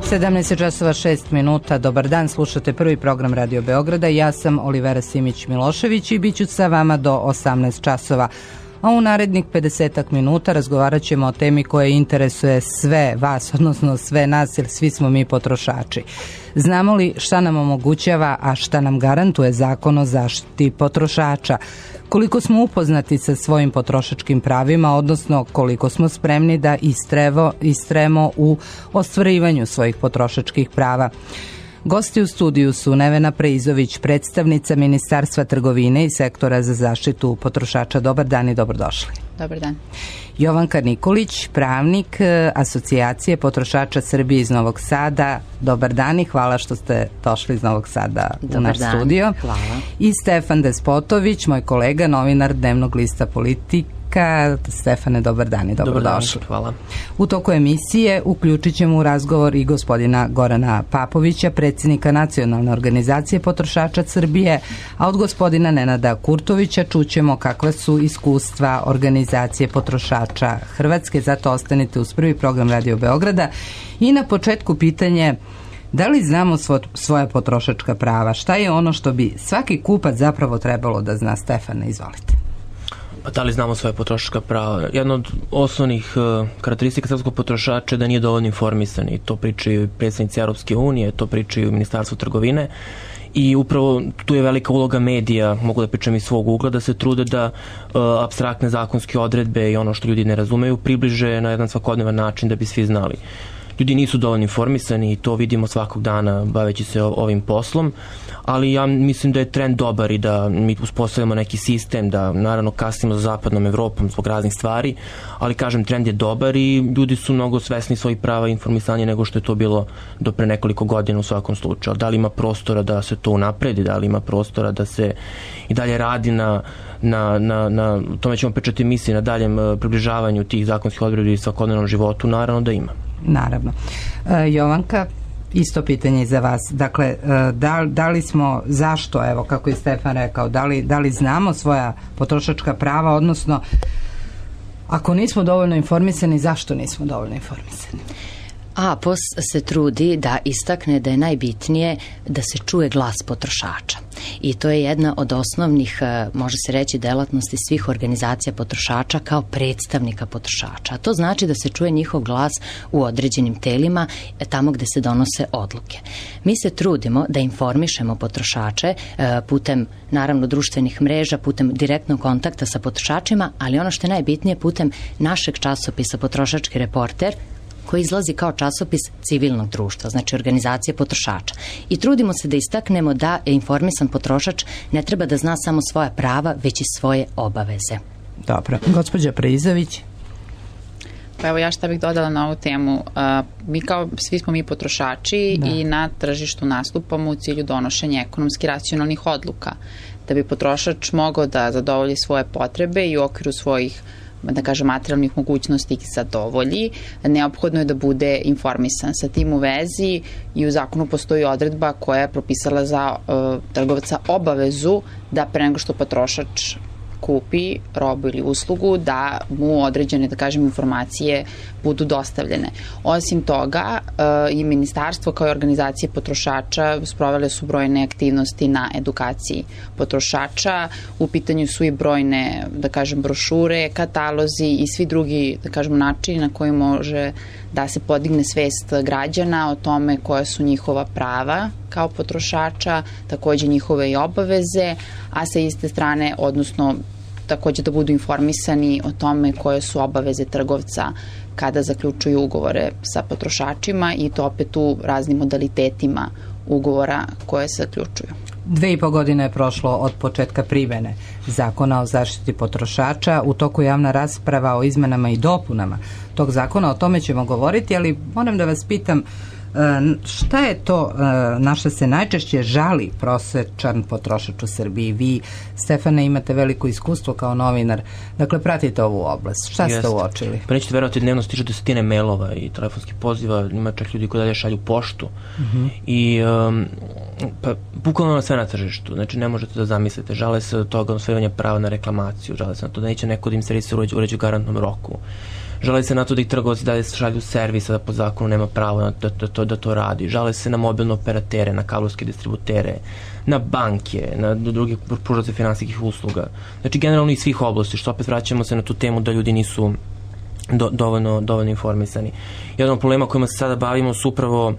17 časova 6 minuta. Dobar dan, slušate prvi program Radio Beograda. Ja sam Olivera Simić-Milošević i bit ću sa vama do 18 časova. A u narednih 50 minuta razgovarat ćemo o temi koja interesuje sve vas, odnosno sve nas, jer svi smo mi potrošači. Znamo li šta nam omogućava, a šta nam garantuje Zakon o zaštiti potrošača? Koliko smo upoznati sa svojim potrošačkim pravima, odnosno koliko smo spremni da istremo u ostvarivanju svojih potrošačkih prava? Gosti u studiju su Nevena Preizović, predstavnica Ministarstva trgovine i sektora za zaštitu potrošača. Dobar dan i dobrodošli. Dobar dan. Jovanka Nikolić, pravnik Asocijacije potrošača Srbije iz Novog Sada. Dobar dan i hvala što ste došli iz Novog Sada u naš studio. Hvala. I Stefan Despotović, moj kolega, novinar Dnevnog lista Politika. Stefane, dobar dan i dobrodošli. Dobar dan, hvala. U toku emisije uključit ćemo u razgovor i gospodina Gorana Papovića, predsjednika Nacionalne organizacije potrošača Srbije, a od gospodina Nenada Kurtovića čućemo kakva su iskustva organizacije potrošača Hrvatske. Zato ostanite uz prvi program Radio Beograda. I na početku pitanje: da li znamo svoja potrošačka prava? Šta je ono što bi svaki kupac zapravo trebalo da zna? Stefane, izvolite. Da li znamo svoje potrošačka prava? Jedna od osnovnih karakteristika srpskog potrošača je da nije dovoljno informisan, i to pričaju predstavnici Europske unije, to pričaju Ministarstvo trgovine, i upravo tu je velika uloga medija, mogu da pričam iz svog ugla, da se trude da apstraktne zakonske odredbe i ono što ljudi ne razumeju približe na jedan svakodnevan način da bi svi znali. Ljudi nisu dovoljno informisani i to vidimo svakog dana baveći se ovim poslom, ali ja mislim da je trend dobar i da mi uspostavljamo neki sistem, da naravno kasnimo za zapadnom Evropom zbog raznih stvari, ali kažem, trend je dobar i ljudi su mnogo svesni svojih prava i informisanje nego što je to bilo do pre nekoliko godina u svakom slučaju. Da li ima prostora da se to unapredi, da li ima prostora da se i dalje radi na tome ćemo pričati emisiji, na daljem približavanju tih zakonskih odredbi i svakodnevnom životu, naravno da ima. Naravno. Jovanka, isto pitanje i za vas. Dakle, da li smo, zašto, evo kako je Stefan rekao, da li znamo svoja potrošačka prava, odnosno ako nismo dovoljno informisani, zašto nismo dovoljno informisani? APOS se trudi da istakne da je najbitnije da se čuje glas potrošača. I to je jedna od osnovnih, može se reći, delatnosti svih organizacija potrošača kao predstavnika potrošača. A to znači da se čuje njihov glas u određenim telima, tamo gde se donose odluke. Mi se trudimo da informišemo potrošače putem, naravno, društvenih mreža, putem direktnog kontakta sa potrošačima, ali ono što je najbitnije, putem našeg časopisa Potrošački reporter, koji izlazi kao časopis civilnog društva, znači organizacije potrošača. I trudimo se da istaknemo da informisan potrošač ne treba da zna samo svoja prava, već i svoje obaveze. Dobro. Gospođa Preizović. Pa evo ja šta bih dodala na ovu temu. Svi smo mi potrošači i na tržištu nastupamo u cilju donošenja ekonomski racionalnih odluka. Da bi potrošač mogao da zadovolji svoje potrebe i u okviru svojih, da kažem, materijalnih mogućnosti ih zadovolji, neophodno je da bude informisan. Sa tim u vezi i u zakonu postoji odredba koja je propisala za trgovca obavezu da pre nego što potrošač kupi robu ili uslugu, da mu određene, da kažem, informacije budu dostavljene. Osim toga, i ministarstvo kao i organizacije potrošača sprovele su brojne aktivnosti na edukaciji potrošača. U pitanju su i brojne, da kažem, brošure, katalozi i svi drugi, da kažem, načini na koji može da se podigne svest građana o tome koja su njihova prava kao potrošača, takođe njihove i obaveze, a sa iste strane, odnosno takođe da budu informisani o tome koje su obaveze trgovca kada zaključuju ugovore sa potrošačima, i to opet u raznim modalitetima ugovora koje se zaključuju. 2,5 godine je prošlo od početka primene Zakona o zaštiti potrošača. U toku javna rasprava o izmenama i dopunama tog zakona, o tome ćemo govoriti, ali moram da vas pitam, šta je to na što se najčešće žali prosečan potrošač u Srbiji? Vi, Stefane, imate veliko iskustvo kao novinar, dakle pratite ovu oblast. Šta ste uočili? Pa nećete verovati, dnevno stižu desetine mailova i telefonskih poziva, ima čak ljudi koji dalje šalju poštu. I pa bukvalno na sve na tržištu, znači ne možete da zamislite, žale se od toga osvajanja prava na reklamaciju, žale se na to da neće neko da im servise uređu u garantnom roku, Žale se na to da i trgovci dalje šalju servisa, da po zakonu nema pravo da to radi. Žale se na mobilne operatere, na kablovske distributere, na banke, na druge pružaoce finansijskih usluga. Znači, generalno iz svih oblasti, što opet vraćamo se na tu temu da ljudi nisu dovoljno informisani. Jedan od problema kojima se sada bavimo su upravo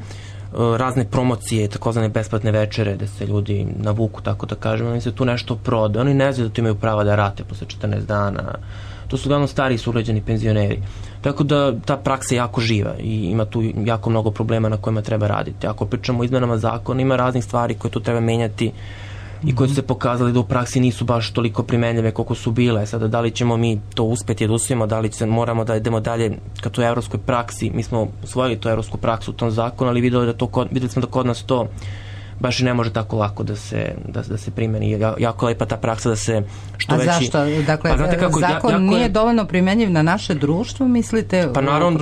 razne promocije, takozvane besplatne večere, da se ljudi navuku, tako da kažemo, oni se tu nešto proda. Oni ne znaju da tu imaju prava da rate posle 14 dana. To su uglavnom stari sugrađani penzioneri. Tako da ta praksa je jako živa i ima tu jako mnogo problema na kojima treba raditi. Ako pričamo o izmenama zakona, ima raznih stvari koje tu treba menjati i koje su se pokazali da u praksi nisu baš toliko primenljive koliko su bile. Sada, da li ćemo mi to uspeti da usvojimo, da li moramo da idemo dalje ka toj evropskoj praksi. Mi smo usvojili tu evropsku praksu u tom zakonu, ali videli smo da kod nas to baš i ne može tako lako da se primeni. Jako lepa ta praksa da se što veći... A zašto? Dakle, zakon nije dovoljno primenjiv na naše društvo, mislite? Pa naravno,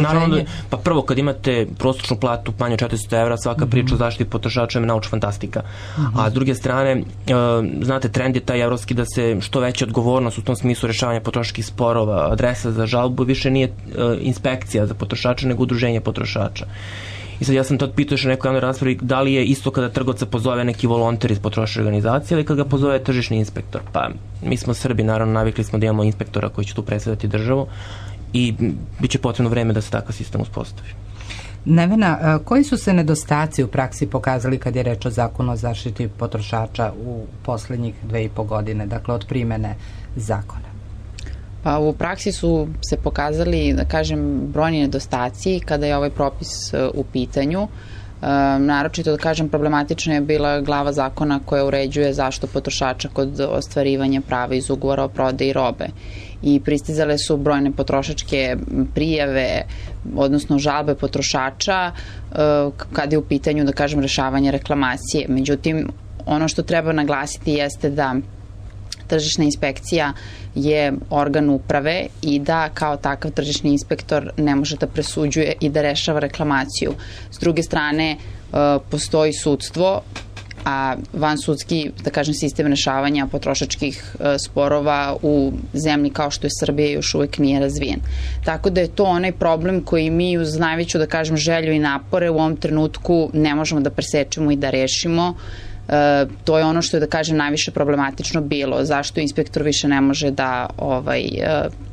pa prvo, kad imate prosječnu platu manje od 400 evra, svaka priča o zaštiti potrošača je naučna fantastika. A s druge strane, znate, trend je taj evropski da se što veća odgovornost u tom smislu rešavanja potrošačkih sporova, adresa za žalbu više nije inspekcija za potrošača, nego udruženje potrošača. I sad ja sam to pitao još u nekoj javnoj raspravi, da li je isto kada trgovca pozove neki volonter iz potrošačke organizacije ili kada ga pozove tržišni inspektor. Pa mi smo Srbi, naravno, navikli smo da imamo inspektora koji će tu predstavljati državu i bit će potrebno vreme da se takav sistem uspostavi. Nevena, koji su se nedostaci u praksi pokazali kad je reč o zakonu o zaštiti potrošača u poslednjih 2,5 godine, dakle od primene zakona? Pa u praksi su se pokazali, da kažem, brojni nedostaci kada je ovaj propis u pitanju. Naročito, da kažem, problematična je bila glava zakona koja uređuje zaštitu potrošača kod ostvarivanja prava iz ugovora o prodaji robe. I pristizale su brojne potrošačke prijave, odnosno žalbe potrošača kada je u pitanju, da kažem, rešavanje reklamacije. Međutim, ono što treba naglasiti jeste da tržišna inspekcija je organ uprave i da kao takav tržišni inspektor ne može da presuđuje i da rešava reklamaciju. S druge strane, postoji sudstvo, a vansudski, da kažem, sistem rešavanja potrošačkih sporova u zemlji kao što je Srbija još uvek nije razvijen. Tako da je to onaj problem koji mi uz najveću, da kažem, želju i napore u ovom trenutku ne možemo da presečemo i da rešimo. To je ono što je, da kažem, najviše problematično bilo. Zašto inspektor više ne može da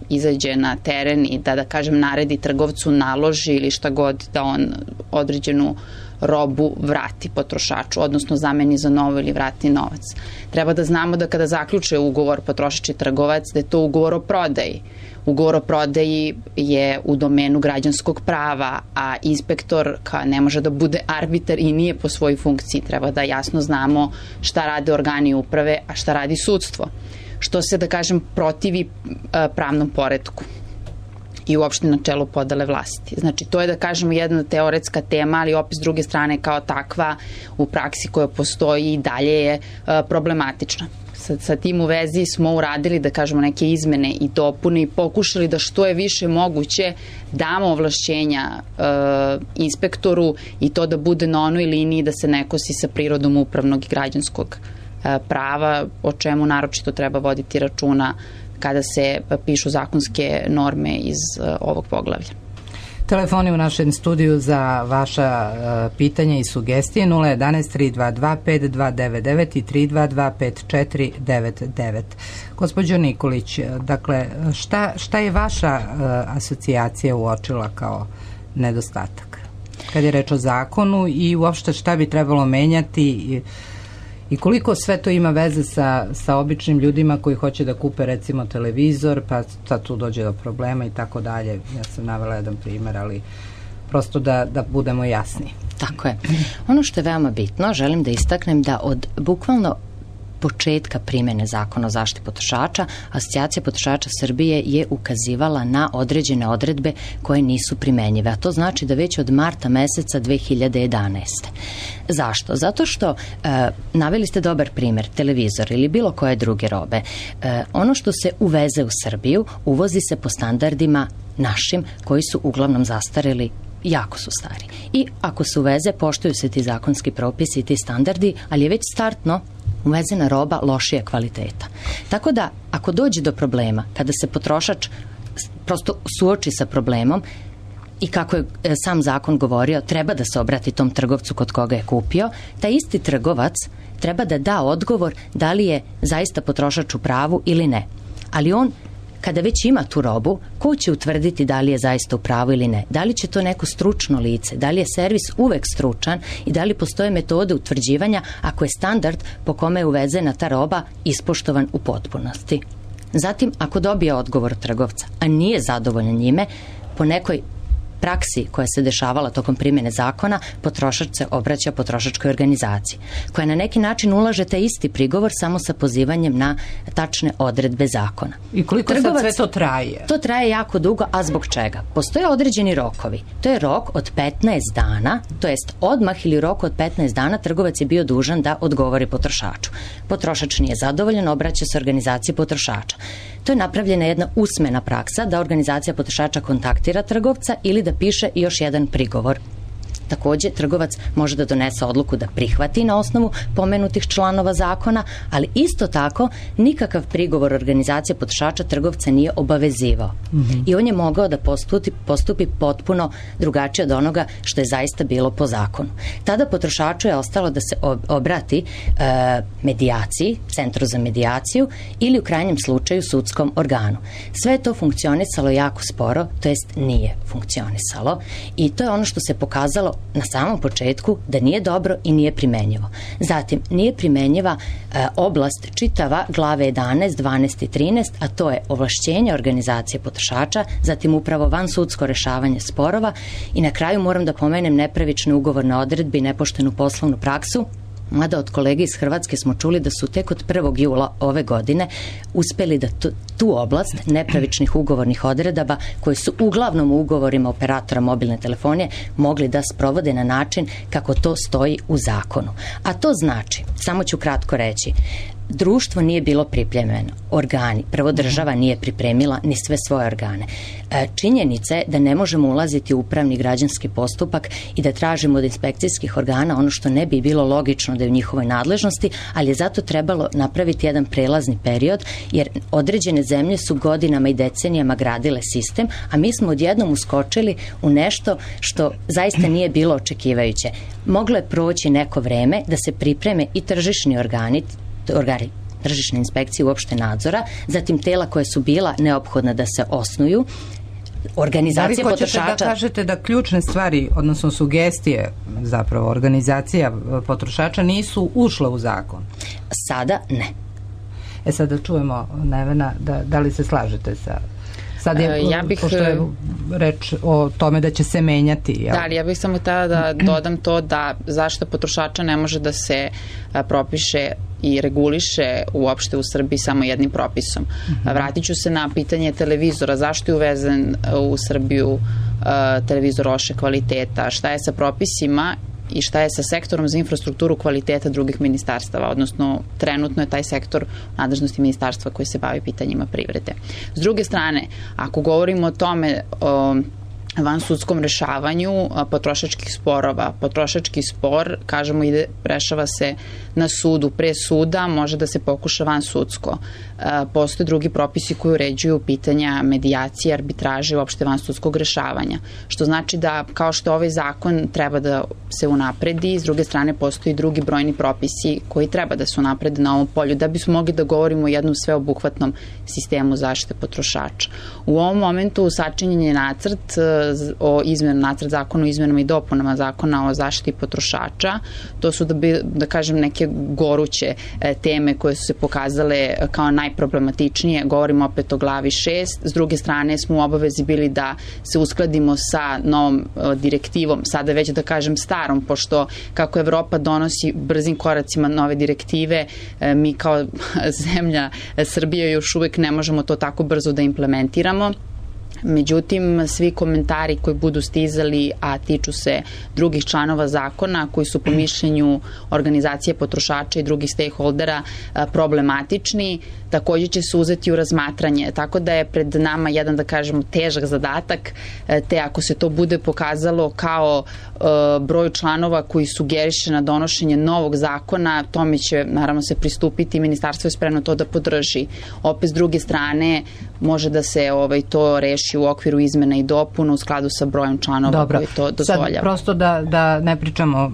izađe na teren i da kažem, naredi trgovcu, naloži ili šta god da on određenu robu vrati potrošaču, odnosno zameni za novo ili vrati novac. Treba da znamo da kada zaključe ugovor potrošač i trgovac, da je to ugovor o prodaji. Ugovor o prodaji je u domenu građanskog prava, a inspektor ne može da bude arbitar i nije po svojoj funkciji. Treba da jasno znamo šta rade organi uprave, a šta radi sudstvo. Što se, da kažem, protivi pravnom poretku i uopšte načelu podele vlasti. Znači, to je, da kažemo, jedna teoretska tema, ali opet s druge strane kao takva u praksi koja postoji i dalje je problematična. Sa tim u vezi smo uradili, da kažemo, neke izmene i dopune i pokušali da što je više moguće damo ovlašćenja inspektoru i to da bude na onoj liniji da se ne kosi sa prirodom upravnog i građanskog prava, o čemu naročito treba voditi računa kada se pišu zakonske norme iz ovog poglavlja. Telefoni u našem studiju za vaša pitanja i sugestije 011 322 5299 i 322 5499. Gospođo Nikolić, dakle, šta je vaša asocijacija uočila kao nedostatak kad je reč o zakonu i uopšte šta bi trebalo menjati i koliko sve to ima veze sa običnim ljudima koji hoće da kupe recimo televizor, pa sad tu dođe do problema i tako dalje. Ja sam navela jedan primer, ali prosto da budemo jasni. Tako je. Ono što je veoma bitno, želim da istaknem da od bukvalno početka primene zakona o zaštiti potrošača, Asocijacija potrošača Srbije je ukazivala na određene odredbe koje nisu primenjive, a to znači da već od marta meseca 2011. Zašto? Zato što naveli ste dobar primer, televizor ili bilo koje druge robe. Ono što se uveze u Srbiju, uvozi se po standardima našim, koji su uglavnom zastareli, jako su stari. I ako se uveze, poštuju se ti zakonski propisi i ti standardi, ali je već startno uvezena roba lošije kvaliteta. Tako da, ako dođe do problema, kada se potrošač prosto suoči sa problemom i kako je sam zakon govorio, treba da se obrati tom trgovcu kod koga je kupio, taj isti trgovac treba da da odgovor da li je zaista potrošač u pravu ili ne. Ali on, kada već ima tu robu, ko će utvrditi da li je zaista u pravu ili ne? Da li će to neko stručno lice? Da li je servis uvek stručan i da li postoje metode utvrđivanja ako je standard po kome je uvezena ta roba ispoštovan u potpunosti? Zatim, ako dobije odgovor trgovca, a nije zadovoljan njime, po nekoj praksi koja se dešavala tokom primjene zakona, potrošač se obraća potrošačkoj organizaciji, koja na neki način ulaže taj isti prigovor samo sa pozivanjem na tačne odredbe zakona. I koliko sad sve to traje? To traje jako dugo, a zbog čega? Postoje određeni rokovi. To je rok od 15 dana, to jest odmah ili rok od 15 dana trgovac je bio dužan da odgovori potrošaču. Potrošač nije zadovoljan, obraća se organizaciji potrošača. To je napravljena jedna usmena praksa da organizacija potrošača kontaktira trgovca ili da piše još jedan prigovor. Takođe, trgovac može da donese odluku da prihvati na osnovu pomenutih članova zakona, ali isto tako nikakav prigovor organizacije potrošača trgovca nije obavezivao. I on je mogao da postupi potpuno drugačije od onoga što je zaista bilo po zakonu. Tada potrošaču je ostalo da se obrati medijaciji, centru za medijaciju ili u krajnjem slučaju sudskom organu. Sve je to funkcionisalo jako sporo, to jest nije funkcionisalo i to je ono što se pokazalo na samom početku da nije dobro i nije primenjivo. Zatim, nije primenjiva oblast čitava glave 11, 12 i 13, a to je ovlašćenje organizacije potrošača, zatim upravo vansudsko rešavanje sporova i na kraju moram da pomenem nepravične ugovorne odredbe i nepoštenu poslovnu praksu, mada od kolege iz Hrvatske smo čuli da su tek od 1. jula ove godine uspeli da tu oblast nepravičnih ugovornih odredaba, koje su uglavnom u ugovorima operatora mobilne telefonije, mogli da sprovode na način kako to stoji u zakonu. A to znači, samo ću kratko reći, društvo nije bilo pripremljeno, organi, prvo država nije pripremila ni sve svoje organe. Činjenica je da ne možemo ulaziti u upravni građanski postupak i da tražimo od inspekcijskih organa ono što ne bi bilo logično da je u njihovoj nadležnosti, ali je zato trebalo napraviti jedan prelazni period, jer određene zemlje su godinama i decenijama gradile sistem, a mi smo odjednom uskočili u nešto što zaista nije bilo očekivajuće. Moglo je proći neko vreme da se pripreme i tržišni organi tržišne inspekcije, uopšte nadzora, zatim tela koje su bila neophodna da se osnuju, organizacija potrošača. Da li hoćete da kažete da ključne stvari, odnosno sugestije zapravo organizacija potrošača nisu ušle u zakon? Sada ne. Sada čujemo Nevena, da li se slažete sa... Sad je, pošto je reč o tome da će se menjati. Jel? Da, ali ja bih samo tada da dodam to da zaštita potrošača ne može da se propiše i reguliše uopšte u Srbiji samo jednim propisom. Vratit ću se na pitanje televizora. Zašto je uvezen u Srbiju televizor loše kvaliteta? Šta je sa propisima i šta je sa sektorom za infrastrukturu kvaliteta drugih ministarstava, odnosno trenutno je taj sektor nadležnosti ministarstva koji se bavi pitanjima privrede. S druge strane, ako govorimo o tome vansudskom rešavanju potrošačkih sporova. Potrošački spor, kažemo, rešava se na sudu, pre suda, može da se pokuša vansudsko. Postoje drugi propisi koji uređuju pitanja medijacije, arbitraže i uopšte vansudskog rešavanja. Što znači da, kao što ovaj zakon treba da se unapredi, s druge strane postoji drugi brojni propisi koji treba da se unaprede na ovom polju, da bismo mogli da govorimo o jednom sveobuhvatnom sistemu zaštite potrošača. U ovom momentu sačinjen je nacrt nacrt zakona o izmenama i dopunama zakona o zaštiti potrošača. To su, da kažem, neke goruće teme koje su se pokazale kao najproblematičnije. Govorimo opet o glavi 6. S druge strane smo u obavezi bili da se uskladimo sa novom direktivom, sada već da kažem starom, pošto kako Evropa donosi brzim koracima nove direktive, mi kao zemlja Srbije još uvek ne možemo to tako brzo da implementiramo. Međutim, svi komentari koji budu stizali, a tiču se drugih članova zakona koji su po mišljenju organizacije potrošača i drugih stakeholdera problematični, takođe će se uzeti u razmatranje. Tako da je pred nama jedan, da kažemo, težak zadatak, te ako se to bude pokazalo kao broj članova koji sugeriše na donošenje novog zakona, tome će naravno se pristupiti i ministarstvo je spremno to da podrži. Opet s druge strane može da se to reši ići u okviru izmena i dopuna u skladu sa brojem članova koji to dozvoljava. Sad prosto da ne pričamo,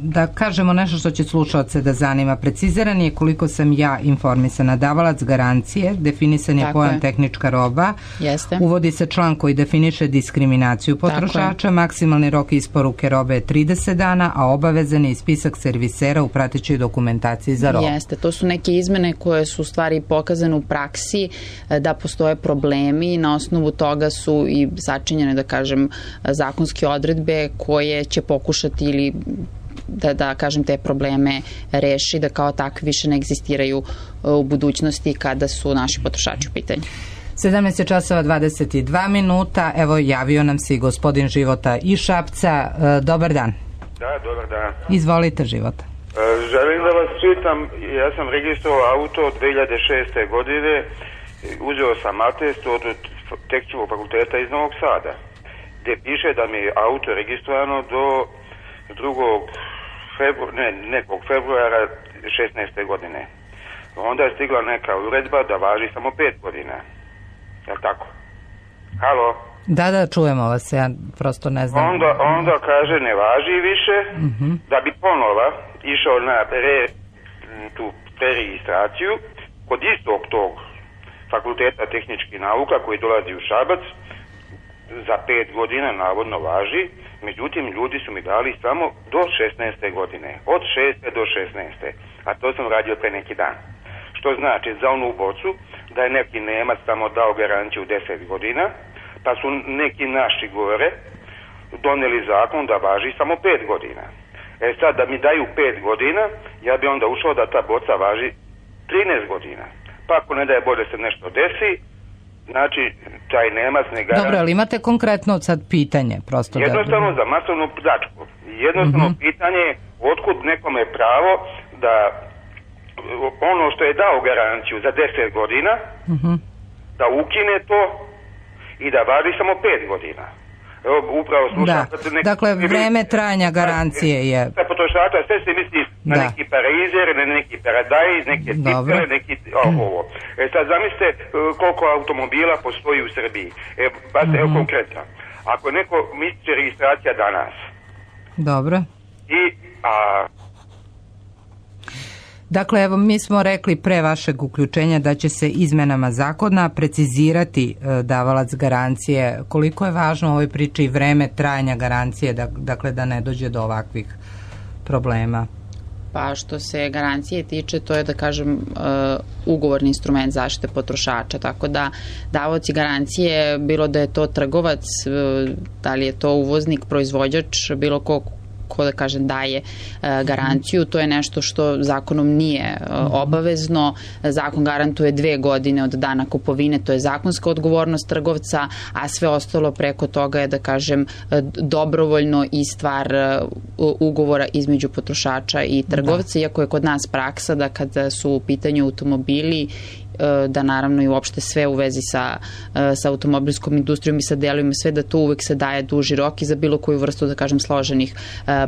da kažemo nešto što će slušalce da zanima. Preciziran je, koliko sam ja informisana, davalac garancije, definisan je pojam tehnička roba, uvodi se član koji definiše diskriminaciju potrošača, maksimalni rok isporuke robe je 30 dana, a obavezan je i spisak servisera u pratećoj dokumentaciji za robu. Jeste, to su neke izmene koje su u stvari pokazane u praksi da postoje problemi i na osnovu toga su i sačinjene, da kažem, zakonske odredbe koje će pokušati ili da kažem te probleme reši, da kao takvi više ne egzistiraju u budućnosti kada su naši potrošači u pitanju. 17 časova 22 minuta, evo javio nam se i gospodin Života iz Šapca. Dobar dan. Da, dobar dan. Izvolite, Života. Želim da vas pitam, ja sam registrovao auto od 2006. godine, uzeo sam atest od Tehničkog fakulteta iz Novog Sada, gde piše da mi je auto registrovano do 2. februara 16. godine. Onda je stigla neka uredba da važi samo 5 godina. Je li tako? Halo? Da, čujemo vas, ja prosto ne znam. Onda kaže ne važi više, da bi ponova išao na tu preregistraciju kod istog tog fakulteta tehničkih nauka koji dolazi u Šabac, za 5 godina navodno važi, međutim ljudi su mi dali samo do 16. godine, od 6. do 16. A to sam radio pre neki dan. Što znači za onu bocu da je neki Nemac tamo dao garanciju 10 godina, pa su neki naši gore doneli zakon da važi samo 5 godina. Sad da mi daju 5 godina, ja bi onda ušao da ta boca važi 13 godina. Pa ako ne daje Bože se nešto desi, znači taj Nemac ne garantuje. Dobro, ali imate konkretno sad pitanje? Jednostavno za masovnu pljačku. Jednostavno pitanje je otkud nekome pravo da ono što je dao garanciju za 10 godina, da ukine to i da važi samo 5 godina. Evo, upravo slušam. Dakle, vreme trajanja garancije je... Za potrošača sve se misli na neki Parizer, na neki Paradise, neke Tipere, neki ovo. Sad zamislite koliko automobila postoji u Srbiji. Evo konkretno. Ako neko misli registracija danas. Dobro. Dakle, evo, mi smo rekli pre vašeg uključenja da će se izmenama zakona precizirati davalac garancije. Koliko je važno u ovoj priči i vreme trajanja garancije, dakle da ne dođe do ovakvih problema? Pa što se garancije tiče, to je da kažem ugovorni instrument zaštite potrošača, tako da davaoci garancije, bilo da je to trgovac, da li je to uvoznik, proizvođač, bilo ko da kažem daje garanciju, to je nešto što zakonom nije obavezno. Zakon garantuje 2 godine od dana kupovine, to je zakonska odgovornost trgovca, a sve ostalo preko toga je da kažem dobrovoljno i stvar ugovora između potrošača i trgovca, iako je kod nas praksa da kada su u pitanju automobili, da naravno i uopšte sve u vezi sa automobilskom industrijom i sa delovima, sve da tu uvek se daje duži rok i za bilo koju vrstu, da kažem, složenih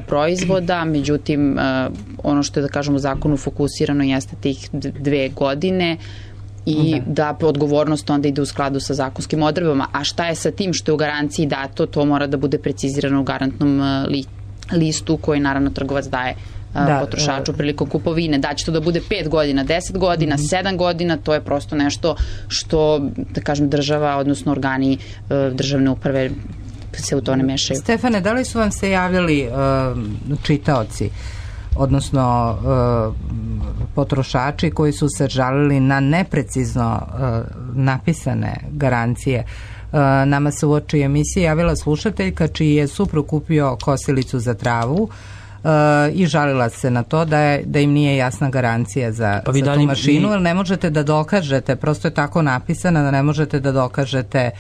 proizvoda. Međutim, ono što je, da kažem, u zakonu fokusirano jeste tih 2 godine i da odgovornost onda ide u skladu sa zakonskim odredbama. A šta je sa tim što je u garanciji dato, to mora da bude precizirano u garantnom listu koji naravno trgovac daje potrošaču prilikom kupovine. Da će to da bude 5 godina, 10 godina, 7 godina, to je prosto nešto što, da kažem, država, odnosno organi državne uprave se u to ne mešaju. Stefane, da li su vam se javljali čitaoci, odnosno potrošači koji su se žalili na neprecizno napisane garancije? Nama se u oči emisije javila slušateljka čiji je suprug kupio kosilicu za travu i žalila se na to da im nije jasna garancija za tu mašinu, jer ne možete da dokažete, prosto je tako napisana da ne možete da dokažete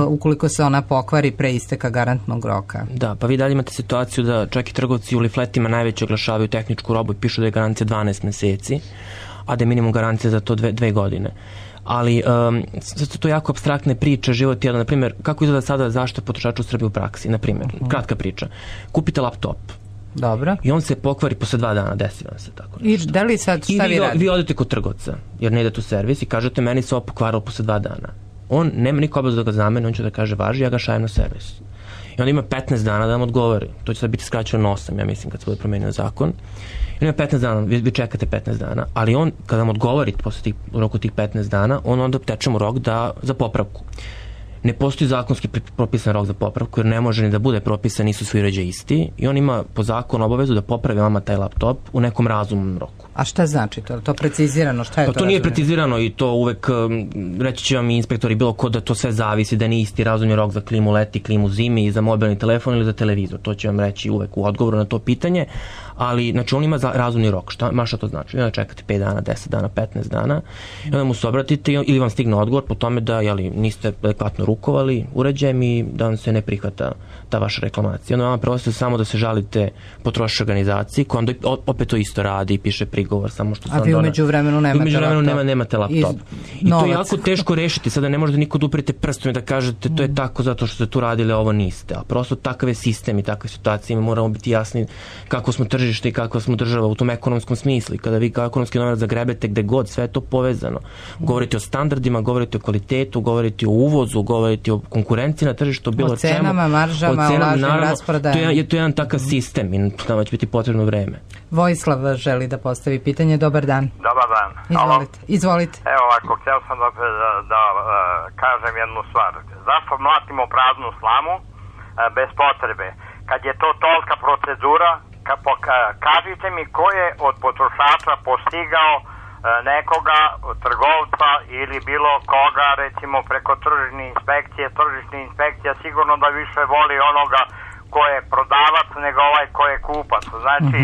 ukoliko se ona pokvari pre isteka garantnog roka. Da, pa vi dalje imate situaciju da čak i trgovci u lifletima najveće oglašavaju tehničku robu i pišu da je garancija 12 meseci, a da je minimum garancija za to 2 godine. Ali sve su to jako apstraktne priče, život jedan, na primjer, kako izgleda sada zaštita potrošača u Srbiji u praksi, na primjer, kratka priča. Kupite laptop. Dobro. I on se pokvari posle 2 dana, desi vam se tako nešto. I da li sad šta vi radite? Vi odete kod trgovca, jer ne idete u servis i kažete meni se ovo pokvarilo posle 2 dana. on nema niko obavezu da ga zameni, on će da kaže važi, ja ga šaljem na servis. I onda ima 15 dana da vam odgovori. To će sad biti skraćeno na 8, ja mislim, kad se bude promenio zakon. I ima 15 dana, vi čekate 15 dana, ali on, kada vam odgovori posle u roku tih 15 dana, on onda teče mu rok za popravku. Ne postoji zakonski propisan rok za popravku, jer ne može ni da bude propisan, nisu svi uređaji isti, i on ima po zakonu obavezu da popravi vama taj laptop u nekom razumnom roku. A šta znači to? To precizirano? Šta je to? To nije precizirano i to uvek, reći će vam i inspektori bilo ko da to sve zavisi, da nije isti razumni rok za klimu leti, klimu zimi, i za mobilni telefon ili za televizor. To će vam reći uvek u odgovoru na to pitanje, ali znači on ima razumni rok. Šta to znači? Onda čekate 5 dana, 10 dana, 15 dana, i onda mu se obratite ili vam stigne odgovor po tome da niste adekvatno rukovali uređajem i da vam se ne prihvata ta vaša reklamacija. Onda vam preostaje samo da se žalite potrošačkoj organizaciji, koja onda opet to isto radi i piše prigovor, samo što a vi umeđu vremenu nemate laptop. I to je jako teško rešiti. Sada ne možete niko da uprete prstom i da kažete to je tako zato što ste tu radili, a ovo niste. A prosto takav je sistem i takve situacije, mi moramo biti jasni kako smo tržište i kako smo država u tom ekonomskom smislu. I kada vi kao ekonomski novinar zagrebete gde god, sve je to povezano. Govorite o standardima, govorite o kvalitetu, govorite o uvozu, govorite o konkurenciji na tržištu, bilo o cenama, maržama, o lažnim rasprodajama. To je jedan takav sistem i tamo će biti potrebno vreme. Vojislav želi da postavi pitanje. Dobar dan. Dobar dan. Izvolite. Evo ovako, htio sam da kažem jednu stvar. Zašto mlatimo praznu slamu bez potrebe? Kad je to tolika procedura, kažite mi ko je od potrošača postigao nekoga, trgovca ili bilo koga, recimo preko tržišne inspekcije, sigurno da više voli onoga ko je prodavac nego ovaj ko je kupac. Znači,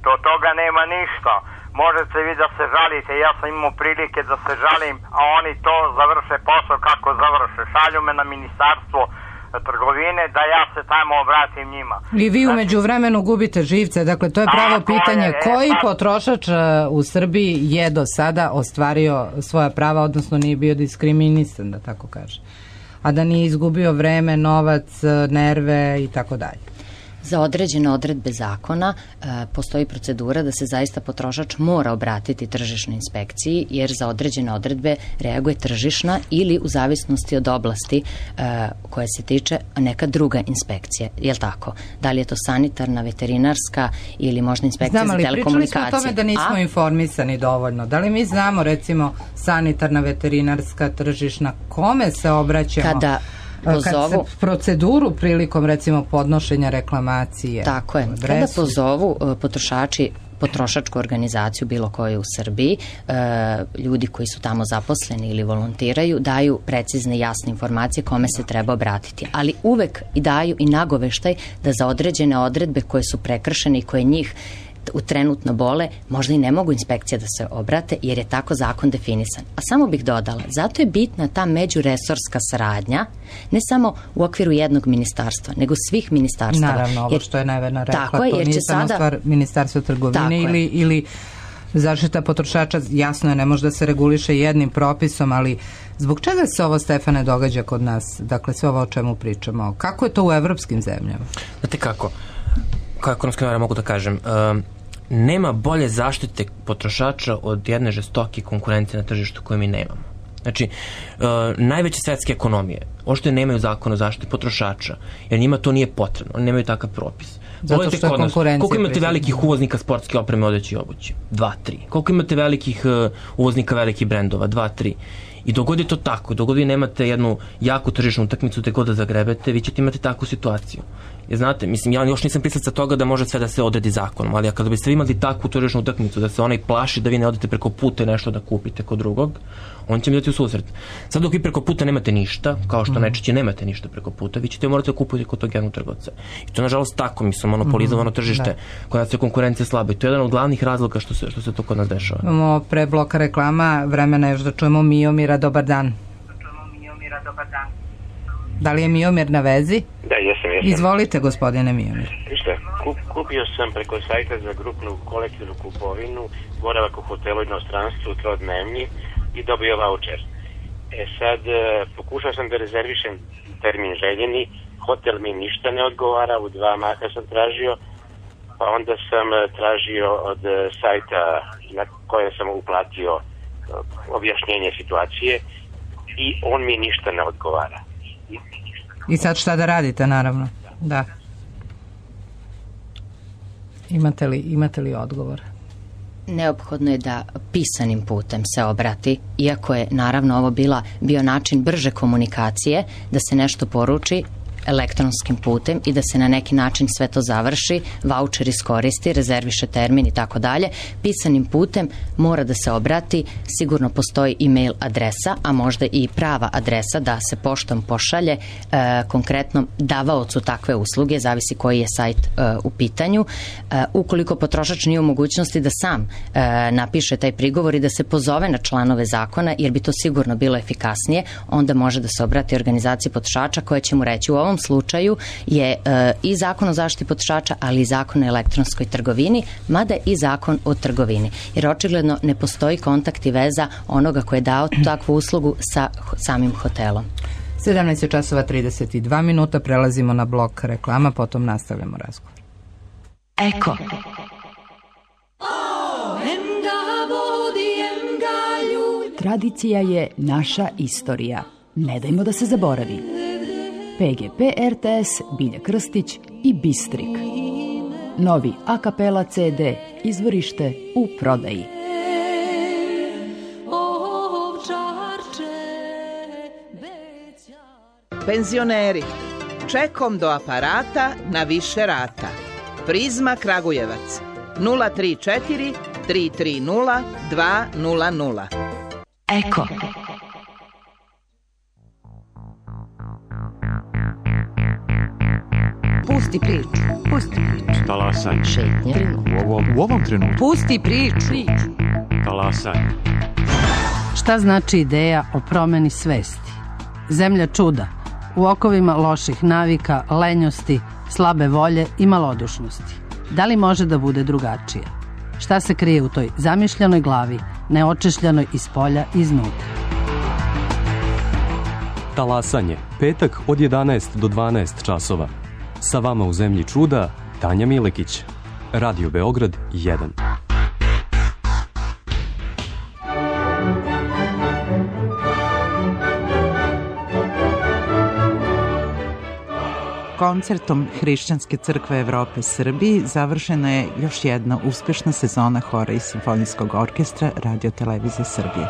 do toga nema ništa. Možete vi da se žalite, ja sam imao prilike da se žalim, a oni to završe posao kako završe. Šalju me na ministarstvo trgovine da ja se tamo obratim njima. I vi umeđu vremenu gubite živce, dakle to je pravo pitanje. Koji potrošač u Srbiji je do sada ostvario svoja prava, odnosno nije bio diskriminisan, da tako kaže, a da nije izgubio vreme, novac, nerve i tako dalje? Za određene odredbe zakona postoji procedura da se zaista potrošač mora obratiti tržišnoj inspekciji, jer za određene odredbe reaguje tržišna ili u zavisnosti od oblasti koja se tiče neka druga inspekcija. Je li tako? Da li je to sanitarna, veterinarska ili možda inspekcija za telekomunikacije? Pričali smo o tome da nismo informisani dovoljno. Da li mi znamo, recimo, sanitarna, veterinarska, tržišna, kome se obraćamo? Kad se proceduru prilikom, recimo, podnošenja reklamacije. Tako je. Kada pozovu potrošači potrošačku organizaciju bilo koju u Srbiji, ljudi koji su tamo zaposleni ili volontiraju, daju precizne i jasne informacije kome se treba obratiti. Ali uvek i daju i nagoveštaj da za određene odredbe koje su prekršene i koje njih trenutno bole, možda i ne mogu inspekcije da se obrate, jer je tako zakon definisan. A samo bih dodala, zato je bitna ta međuresorska saradnja, ne samo u okviru jednog ministarstva, nego svih ministarstava. Naravno, ovo što je Nevena rekla, to nije samo stvar ministarstva trgovine ili zaštita potrošača, jasno je, ne može da se reguliše jednim propisom, ali zbog čega se ovo, Stefane, događa kod nas? Dakle, sve ovo o čemu pričamo. Kako je to u evropskim zemljama? Znate kako? Kao ekonomski novinar mogu da kažem, nema bolje zaštite potrošača od jedne žestoke konkurencije na tržištu koje mi nemamo. Znači, najveće svetske ekonomije ošto nemaju zakon o zaštiti potrošača, jer njima to nije potrebno, oni nemaju takav propis. Zato što je konkurencija. Koliko imate velikih uvoznika sportske opreme, odeće i obuće? 2, 3. Koliko imate velikih uvoznika velikih brendova? 2, 3. I dogod je to tako, dogod vi nemate jednu jaku tržišnu utakmicu te god da zagrebete, vi ćete imati takvu situaciju. Jer znate, mislim, ja još nisam pisaca toga da može sve da se odredi zakonom, ali kada biste imali takvu tržišnu utakmicu da se onaj plaši da vi ne odete preko puta i nešto da kupite kod drugog, on će mi dati u susret. Sad dok vi preko puta nemate ništa, kao što najčešće nemate ništa preko puta, vi ćete morati da kupujete kod tog jednog trgovca. I to je nažalost tako, mislim, monopolizovano tržište, kod nas je konkurencija slaba i to je jedan od glavnih razloga što se to kod nas dešava. Imamo pre bloka reklama, vremena još da čujemo Miomira. Dobar dan. Da li je Miomir na vezi? Da, jesam. Izvolite, gospodine Miomir. Vište, kupio sam preko sajta za grupnu kolektivnu kupovinu boravak u hotelu inostranstvu trodnevni i dobio vaučer. Sad, pokušao sam da rezervišem termin željeni, hotel mi ništa ne odgovara, u 2 maha sam tražio, pa onda sam tražio od sajta na kojem sam uplatio objašnjenje situacije i on mi ništa ne odgovara. I sad šta da radite, naravno? Da. Imate li odgovor? Neophodno je da pisanim putem se obrati, iako je naravno ovo bio način brže komunikacije, da se nešto poruči elektronskim putem i da se na neki način sve to završi, vaučer iskoristi, rezerviše termin i tako dalje. Pisanim putem mora da se obrati, sigurno postoji e-mail adresa, a možda i prava adresa da se poštom pošalje konkretnom davaocu takve usluge, zavisi koji je sajt u pitanju. Ukoliko potrošač nije u mogućnosti da sam napiše taj prigovor i da se pozove na članove zakona, jer bi to sigurno bilo efikasnije, onda može da se obrati organizaciji potrošača koja će mu reći: u ovom slučaju je i zakon o zaštiti potrošača, ali i zakon o elektronskoj trgovini, mada i zakon o trgovini. Jer očigledno ne postoji kontakt i veza onoga ko je dao takvu uslugu sa samim hotelom. 17:32, prelazimo na blok reklama, potom nastavljamo razgovor. Eko. Tradicija je naša istorija. Ne dajmo da se zaboravi. PGP RTS, Bilja Krstić i Bistrik. Novi a kapela CD, izvorište u prodaji. Penzioneri, čekom do aparata na više rata. Prizma Kragujevac, 034 330 200. Eko. Pusti priču. Talasanje. Šetnje. U ovom trenutku. Pusti priču. Talasanje. Šta znači ideja o promeni svesti? Zemlja čuda, u okovima loših navika, lenjosti, slabe volje i malodušnosti. Da li može da bude drugačije? Šta se krije u toj zamišljenoj glavi, neočešljanoj iz polja i iznutra? Talasanje, petak od 11 do 12 časova. Sa vama u Zemlji čuda, Tanja Milekić. Radio Beograd 1. Koncertom Hrišćanske crkve Evrope Srbiji završena je još jedna uspešna sezona hora i simfonijskog orkestra Radio Televizije Srbije.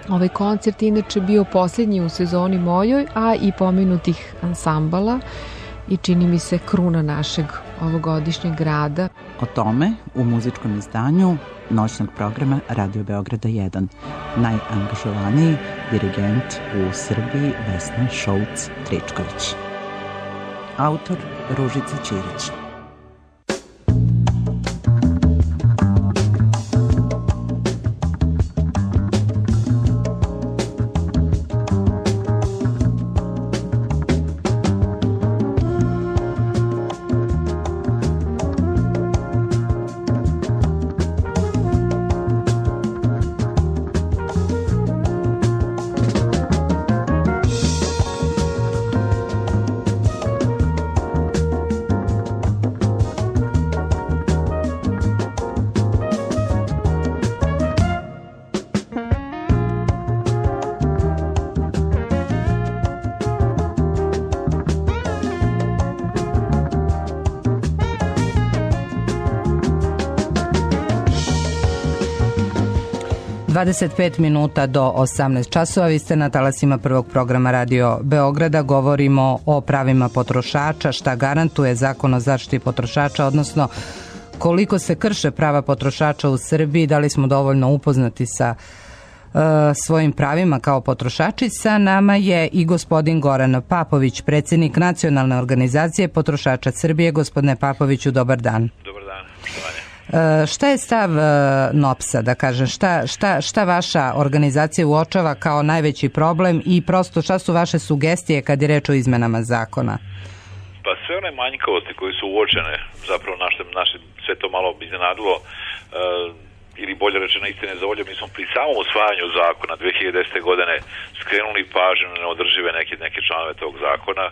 Ovaj koncert inače bio posljednji u sezoni mojoj, a i pomenutih ansambala i čini mi se kruna našeg ovogodišnjeg rada. O tome u muzičkom izdanju noćnog programa Radio Beograda 1. Najangažovaniji dirigent u Srbiji Vesna Šouc-Tričković. Autor Ružica Ćirić. (25 do 18 časova). Vi ste na talasima prvog programa Radio Beograda. Govorimo o pravima potrošača, šta garantuje zakon o zaštiti potrošača, odnosno koliko se krše prava potrošača u Srbiji, da li smo dovoljno upoznati sa svojim pravima kao potrošači. Sa nama je i gospodin Goran Papović, predsjednik Nacionalne organizacije potrošača Srbije. Gospodine Papoviću, dobar dan. Dobar dan, poštovanje. Šta je stav NOPS-a, da kažem, šta vaša organizacija uočava kao najveći problem i prosto šta su vaše sugestije kad je reč o izmenama zakona? Pa sve one manjkavosti koje su uočene, zapravo naše sve to malo iznenadilo, ili bolje rečeno istine za volje, mi smo pri samom usvajanju zakona 2010. godine skrenuli pažnju na neodržive neke članove tog zakona.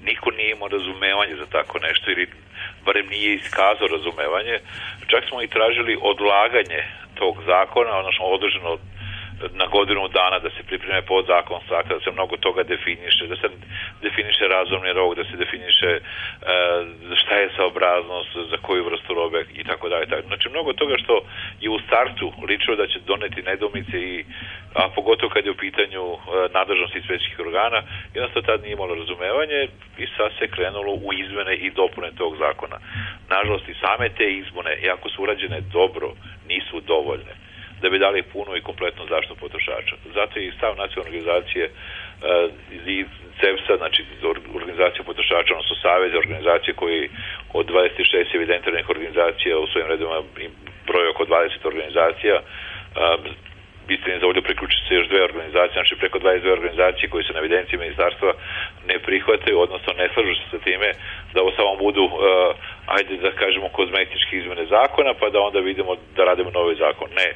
Niko nije imao razumevanje za tako nešto ili barem nije iskazao razumevanje. Čak smo i tražili odlaganje tog zakona, odnosno održano na godinu dana, da se pripreme podzakonska akta, da se mnogo toga definiše, da se definiše razumni rok, da se definiše šta je saobraznost, za koju vrstu robe i tako dalje. Znači mnogo toga što je u startu ličilo da će doneti nedoumice a pogotovo kad je u pitanju nadležnosti inspekcijskih organa, jednostavno tad nije imalo razumevanje i sad se krenulo u izmene i dopune tog zakona. Nažalost i same te izmene, iako su urađene dobro, nisu dovoljne da bi dali punu i kompletnu zaštitu potrošača. Zato je i stav nacionalne organizacije i CEPS-a, znači organizacija potrošača, odnosno savez organizacije koji od 26 evidentiranih organizacija u svojim redima broje oko 20 organizacija, istini za ovdje priključiti se još dve organizacije, znači preko 22 organizacije koje su na evidenciji ministarstva ne prihvataju, odnosno ne slažu se sa time da ovo samo budu, ajde da kažemo, kozmetički izmene zakona, pa da onda vidimo da radimo novi zakon. Ne,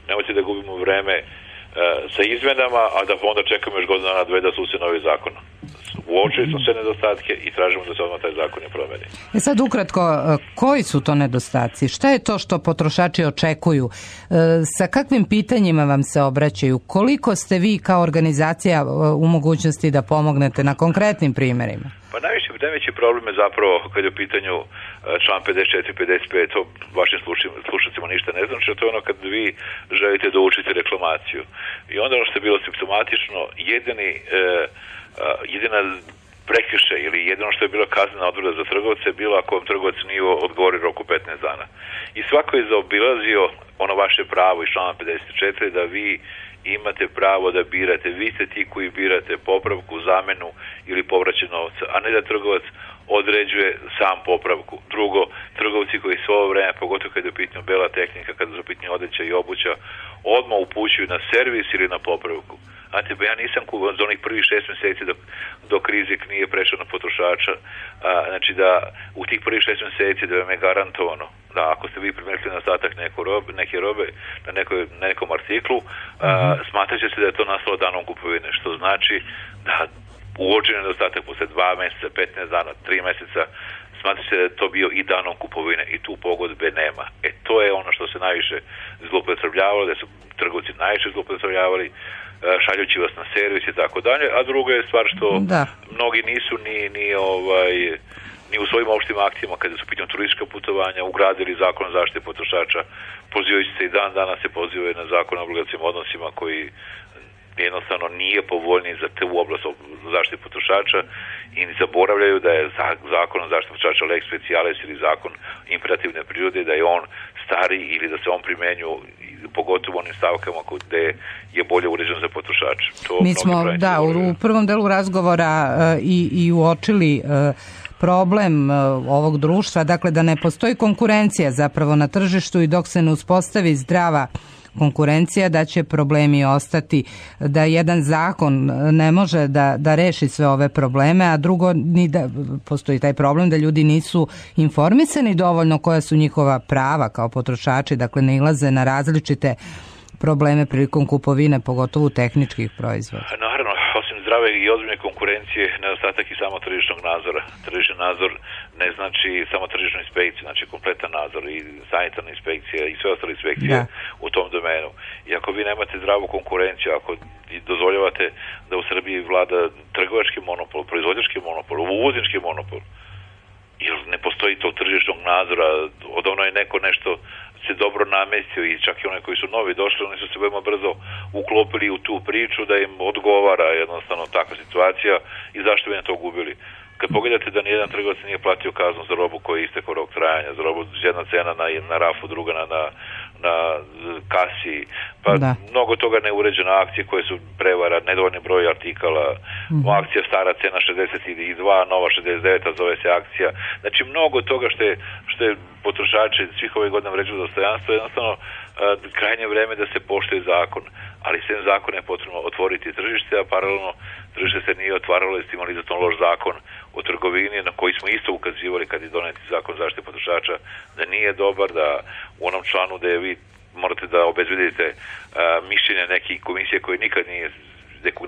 nemojte da gubimo vreme sa izmenama, a da onda čekamo još godinu dana dve da su se novi zakon. Uočili smo sve nedostatke i tražimo da se odmah taj zakon ne promeni. Sad ukratko, koji su to nedostaci? Šta je to što potrošači očekuju? Sa kakvim pitanjima vam se obraćaju? Koliko ste vi kao organizacija u mogućnosti da pomognete na konkretnim primjerima? Pa najveći problem je zapravo kad je u pitanju član 54-55, to vašim slušacima ništa ne znači, to je ono kad vi želite da učite reklamaciju. I onda ono što je bilo simptomatično, jedina prekršaj ili jedino što je bila kaznena odredba za trgovce je bilo ako vam trgovac nije odgovori roku 15 dana. I svako je zaobilazio ono vaše pravo iz člana 54 da vi imate pravo da birate. Vi ste ti koji birate popravku, zamenu ili povraćaj novca, a ne da trgovac određuje sam popravku. Drugo, trgovci koji svo ovo vreme, pogotovo kad je u pitanju bela tehnika, kada je u pitanju odeća i obuća, odmah upućuju na servis ili na popravku. Znate, ja nisam za onih prvih 6 mjeseci dok rizik nije prešao na potrošača, znači da u tih prvih 6 mjeseci da vam je garantovano da ako ste vi primijetili nedostatak neke robe na nekom artiklu, smatrat će se da je to nastalo danom kupovine, što znači da uočen nedostatak posle 2 mjeseca, 15 dana, 3 mjeseca, smatrat će se da je to bio i danom kupovine i tu pogodbe nema. To je ono što se najviše zloupotrebljavalo, da su trgovci najviše zloupotrebljavali, šaljući vas na servis i tako dalje, a druga je stvar što mnogi nisu ni u svojim opštim aktima kada su pitanje turistička putovanja ugradili zakon o zaštiti potrošača, pozivajući se i dan danas se pozivaju na zakon o obligacijskim odnosima koji jednostavno nije povoljniji za tu oblast zaštite potrošača i zaboravljaju da je zakon o zaštiti potrošača lex specialis ili zakon imperativne prirode, da je on stari ili da se on primenju pogotovo onim stavkama gde je bolje uređen za potrošača. Mi smo u prvom delu razgovora i uočili problem ovog društva, dakle da ne postoji konkurencija zapravo na tržištu i dok se ne uspostavi zdrava konkurencija, da će problemi ostati, da jedan zakon ne može da reši sve ove probleme, a drugo ni da postoji taj problem da ljudi nisu informisani dovoljno koja su njihova prava kao potrošači, dakle ne ilaze na različite probleme prilikom kupovine, pogotovo tehničkih proizvoda. Naravno, osim zdrave i ozbiljne konkurencije, nedostatak i samo tržišnog nadzora. Tržišni nadzor ne znači samo tržišnu inspekciju, znači kompletan nadzor i sanitarna inspekcija i sve ostale inspekcije u tom domenu. I ako vi nemate zdravu konkurenciju, ako dozvoljavate da u Srbiji vlada trgovački monopol, proizvođački monopol, uvoznički monopol, jer ne postoji tog tržišnog nadzora, odavno je neko nešto se dobro namestio i čak i one koji su novi došli, oni su se veoma brzo uklopili u tu priču da im odgovara jednostavno takva situacija i zašto bi na to gubili. Kad pogledate da nijedan trgovac nije platio kaznu za robu koja je istekao rok trajanja, za robu jedna cena na rafu, druga na kasi, pa mnogo toga neuređene akcije koje su prevara, nedovoljni broj artikala, akcija stara cena 62, nova 69, zove se akcija. Znači mnogo toga što je potrošači svih ovih godina vređu dostojanstvo, jednostavno krajnje vreme da se poštuje zakon, ali sem zakona je potrebno otvoriti tržište, a paralelno tržište se nije otvaralo i ste imali za to loš zakon o trgovini na koji smo isto ukazivali kad je doneti zakon o zaštiti potrošača da nije dobar, da u onom članu da vi morate da obezbedite mišljenje neke komisije koje nikad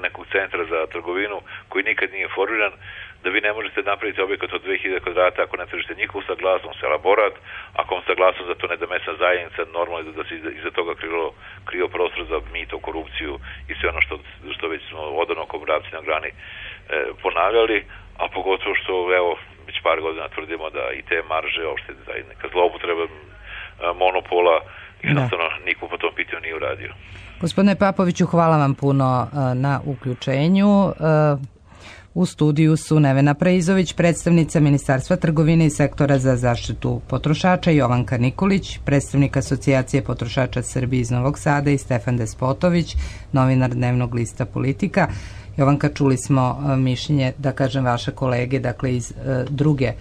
nekog centra za trgovinu koji nikad nije formiran, da vi ne možete napraviti objekat od 2000 kvadrata ako ne tražite njihovu saglasnost, elaborat, ako vam saglasnost za to ne da mesna zajednica, normalno je da se iza toga krio prostor za mito, korupciju i sve ono što već smo odavno kao mravci na grani ponavljali, a pogotovo što evo već par godina tvrdimo da i te marže, uopšte neka zloupotreba monopola, jednostavno niko po tom pitanju nije uradio. Gospodine Papoviću, hvala vam puno na uključenju. U studiju su Nevena Preizović, predstavnica Ministarstva trgovine i sektora za zaštitu potrošača, Jovanka Nikolić, predstavnik Asocijacije potrošača Srbije iz Novog Sada i Stefan Despotović, novinar dnevnog lista Politika. Jovanka, čuli smo mišljenje, da kažem, vaše kolege, dakle iz druge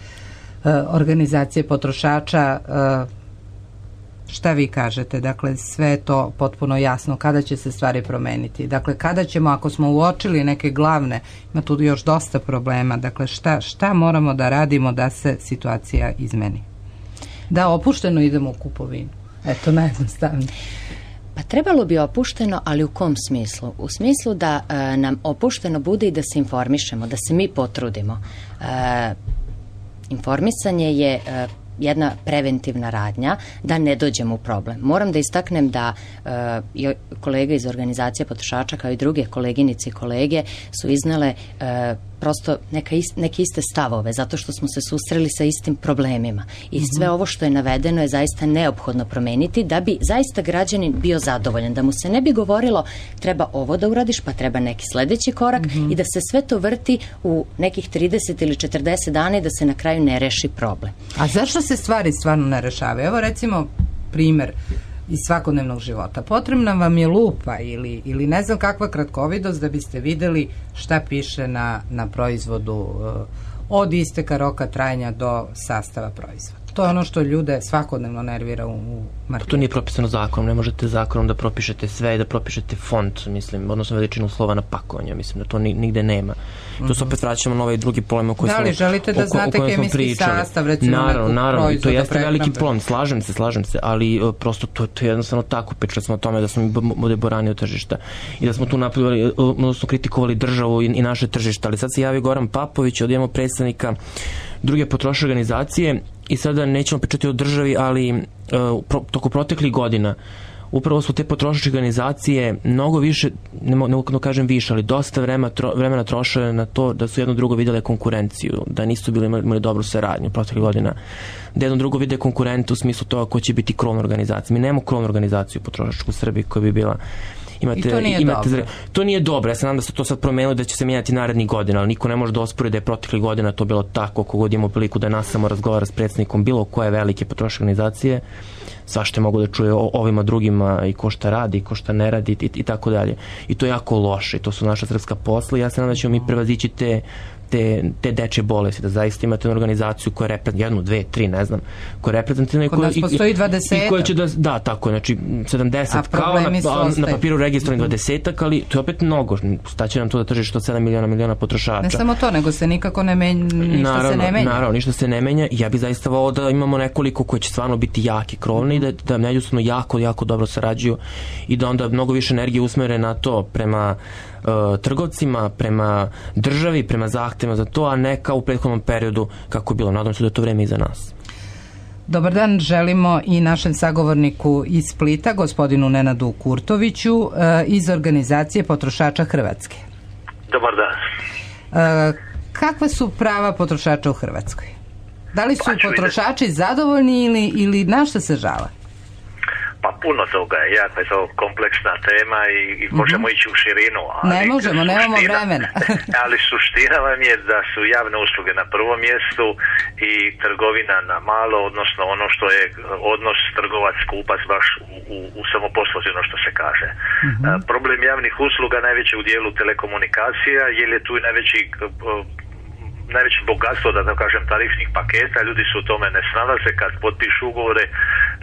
organizacije potrošača. Šta vi kažete? Dakle, sve je to potpuno jasno. Kada će se stvari promeniti? Dakle, kada ćemo, ako smo uočili neke glavne, ima tu još dosta problema, dakle, šta moramo da radimo da se situacija izmeni? Da, opušteno idemo u kupovinu. Eto, najjednostavnije. Pa trebalo bi opušteno, ali u kom smislu? U smislu da nam opušteno bude i da se informišemo, da se mi potrudimo. Informisanje je jedna preventivna radnja da ne dođemo u problem. Moram da istaknem da kolege iz organizacije potrošača kao i druge koleginice i kolege su iznele prosto neke iste stavove, zato što smo se susreli sa istim problemima. I sve ovo što je navedeno je zaista neophodno promeniti da bi zaista građanin bio zadovoljan, da mu se ne bi govorilo treba ovo da uradiš, pa treba neki sledeći korak i da se sve to vrti u nekih 30 ili 40 dana i da se na kraju ne reši problem. A zašto se stvari stvarno ne rešavaju? Evo recimo primer iz svakodnevnog života. Potrebna vam je lupa ili ne znam kakva kratkovidost da biste videli šta piše na proizvodu od isteka roka trajanja do sastava proizvoda. To je ono što ljude svakodnevno nervira u marketu. To nije propisano zakonom, ne možete zakonom da propišete sve i da propišete font, mislim, odnosno veličinu slova na pakovanju, mislim da to nigde nema. Tu se opet vraćamo na ovaj drugi problem o kojem smo pričali. Da li želite da znate kemijski sastav, recimo nekog proizvoda? Naravno, to jeste veliki problem, slažem se, ali prosto to je jednostavno tako, pričali smo o tome da smo mi bude borani od tržišta i da smo tu napravili, odnosno kritikovali državu i naše tržište, ali sad se javi Goran Papović, odjemo predstavnika druge potrošačke organizacije i sada nećemo pričati o državi, ali toko proteklih godina upravo su te potrošačke organizacije mnogo više, ne mogu da kažem više, ali dosta vremena trošile na to da su jedno drugo videle konkurenciju, da nisu imali dobru saradnju proteklih godina, da jedno drugo vide konkurentu u smislu toga ko će biti krovna organizacija. Mi nemamo krovnu organizaciju potrošačku u Srbiji koja bi bila. I to nije dobro. To nije dobro. Ja se nadam da se to sad promenilo, da će se mijenjati narednih godina, ali niko ne može da ospori da je proteklih godina to bilo tako. Kogod imamo priliku da nas samo razgovara s predsjednikom bilo koje velike potrošačke organizacije, svašta mogu da čuje o ovima drugima i ko šta radi, ko šta ne radi i tako dalje. I to je jako loše. To su naša srpska posla i ja se nadam da ćemo mi prevazići te dečje bolesti, da zaista imate organizaciju koja reprezentuje jednu, dve, tri, ne znam, koja reprezentuje kod nas postoji 20 i koja će da, tako, znači 70 kao na papiru registrovanih 20, ali to je opet mnogo, staće nam to da tržište od 7 miliona potrošača. Ne samo to, nego se nikako ne menja, ništa se ne menja. Naravno, ništa se ne menja. Ja bih zaista volao da imamo nekoliko koji će stvarno biti jaki, krovni i da međusobno jako dobro sarađuju i da onda mnogo više energije usmere na to prema trgovcima, prema državi, prema zahtevima za to, a ne kao u prethodnom periodu kako je bilo. Nadam se da je to vreme iza nas. Dobar dan, želimo i našem sagovorniku iz Splita, gospodinu Nenadu Kurtoviću iz organizacije potrošača Hrvatske. Dobar dan. Kakva su prava potrošača u Hrvatskoj? Da li su potrošači zadovoljni ili na šta se žale? Pa puno toga je, jako je to kompleksna tema i možemo ići u širinu. Ali ne možemo, nemamo vremena. Ali suština vam je da su javne usluge na prvom mjestu i trgovina na malo, odnosno ono što je odnos trgovac-kupac baš u samoposluzi, ono što se kaže. Problem javnih usluga najveći u dijelu telekomunikacija, jer je tu i najveće bogatstvo, da kažem, tarifnih paketa. Ljudi se u tome ne snalaze, kad potpišu ugovore,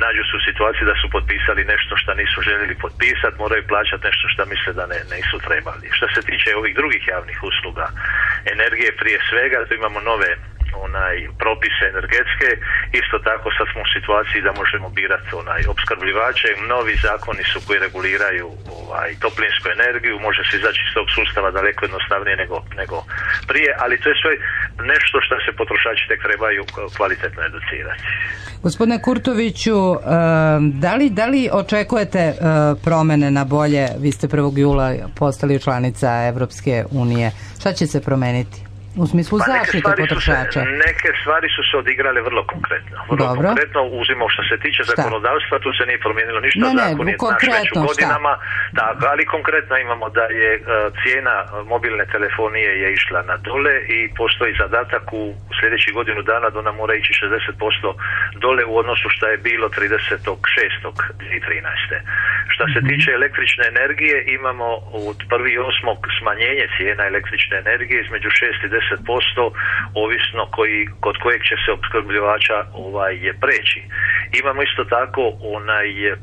nađu se u situaciji da su potpisali nešto što nisu željeli potpisati, moraju plaćati nešto što misle da nisu trebali. Što se tiče ovih drugih javnih usluga, energije prije svega, tu imamo nove propise energetske. Isto tako sad smo u situaciji da možemo birati opskrbljivače. Novi zakoni su koji reguliraju toplinsku energiju, može se izaći iz tog sustava daleko jednostavnije nego prije, ali to je sve nešto što se potrošači tek trebaju kvalitetno educirati. Gospodine Kurtoviću, da li očekujete promene na bolje? Vi ste 1. jula postali članica Evropske unije. Šta će se promeniti? U smislu zaštite potrošača. Neke stvari su se odigrale vrlo konkretno. Konkretno uzimo što se tiče zakonodavstva, tu se nije promijenilo ništa, zakon je naš već u godinama, tako, ali konkretno imamo da je cijena mobilne telefonije je išla na dole i postoji zadatak u sljedećih godinu dana da ona mora ići 60% dole u odnosu što je bilo 30.6.2013. Što se tiče električne energije, imamo od 1.8. smanjenje cijena električne energije između 6 i 10%, ovisno kod kojeg će se opskrbljivača je preći. Imamo isto tako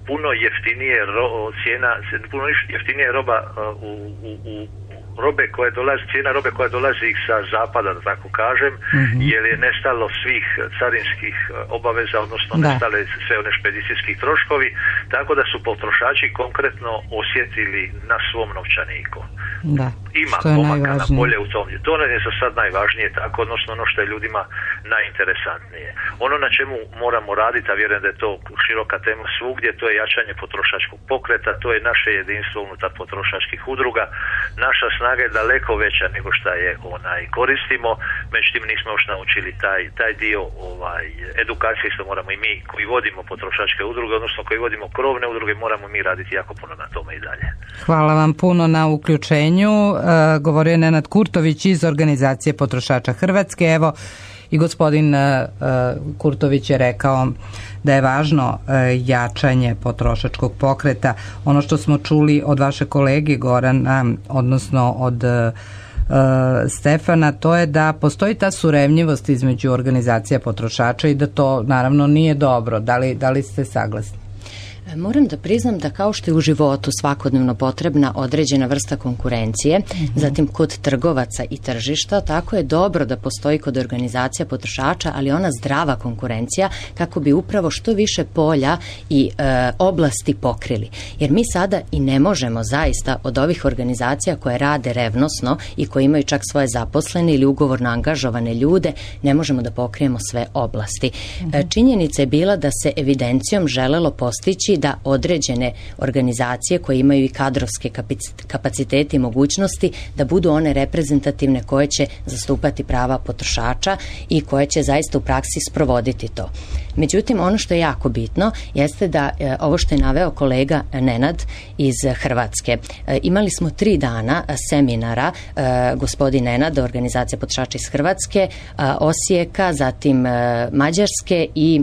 puno jeftinije puno jeftinije roba cijena robe koja dolazi sa zapada, da tako kažem, jer je nestalo svih carinskih obaveza, odnosno nestale sve one špedicijskih troškovi, tako da su potrošači konkretno osjetili na svom novčaniku. Ima pomaka na bolje u tom. To je za sad najvažnije, tako, odnosno ono što je ljudima najinteresantnije. Ono na čemu moramo raditi, a vjerujem da je to široka tema svugdje, to je jačanje potrošačkog pokreta, to je naše jedinstvo unutar potrošačkih udruga. Naša snaga je daleko veća nego što je koristimo, međutim nismo još naučili taj dio edukacije, isto moramo i mi koji vodimo potrošačke udruge, odnosno koji vodimo krovne udruge, moramo mi raditi jako puno na tome i dalje. Hvala vam puno na uključenju. Govorio je Nenad Kurtović iz Organizacije potrošača Hrvatske. Evo, i gospodin Kurtović je rekao da je važno jačanje potrošačkog pokreta. Ono što smo čuli od vaše kolege Gorana, odnosno od Stefana, to je da postoji ta surevnjivost između organizacija potrošača i da to naravno nije dobro. Da li ste saglasni? Moram da priznam da kao što je u životu svakodnevno potrebna određena vrsta konkurencije, zatim kod trgovaca i tržišta, tako je dobro da postoji kod organizacija potrošača, ali ona zdrava konkurencija kako bi upravo što više polja i oblasti pokrili. Jer mi sada i ne možemo zaista od ovih organizacija koje rade revnosno i koje imaju čak svoje zaposlene ili ugovorno angažovane ljude, ne možemo da pokrijemo sve oblasti. Činjenica je bila da se evidencijom želelo postići da određene organizacije koje imaju i kadrovske kapacitete i mogućnosti da budu one reprezentativne koje će zastupati prava potrošača i koje će zaista u praksi sprovoditi to. Međutim, ono što je jako bitno jeste da ovo što je naveo kolega Nenad iz Hrvatske. Imali smo 3 dana seminara, gospodin Nenad, organizacija potrošača iz Hrvatske, Osijeka, zatim Mađarske i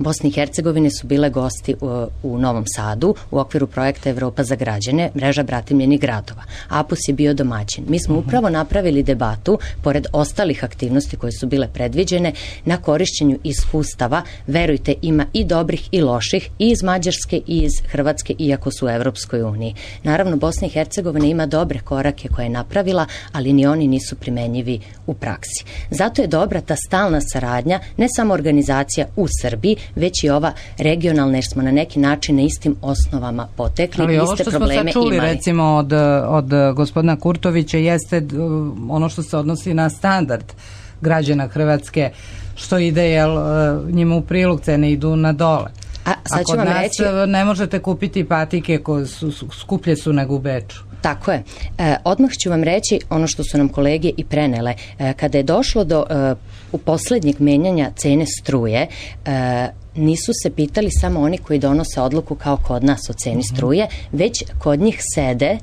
Bosne i Hercegovine su bile gosti u Novom Sadu u okviru projekta Evropa za građane, mreža bratimljenih gradova. APUS je bio domaćin. Mi smo upravo napravili debatu, pored ostalih aktivnosti koje su bile predviđene, na korišćenju iskustava. Verujte, ima i dobrih i loših, i iz Mađarske i iz Hrvatske, iako su u Evropskoj uniji. Naravno, Bosna i Hercegovina ima dobre korake koje je napravila, ali ni oni nisu primenjivi u praksi. Zato je dobra ta stalna saradnja, ne samo organizacija u Srbiji, već i ova regionalna, jer smo na neki način na istim osnovama potekli. Ali ovo što smo sad čuli recimo od gospodina Kurtovića jeste ono što se odnosi na standard građana Hrvatske, što ide njima u prilog, cene idu na dole. A kod nas ne možete kupiti patike koje skuplje su nego u Beču. Tako je. Odmah ću vam reći ono što su nam kolege i prenele. Kada je došlo do u posljednjeg menjanja cene struje, nisu se pitali samo oni koji donose odluku kao kod nas o ceni struje, već kod njih sede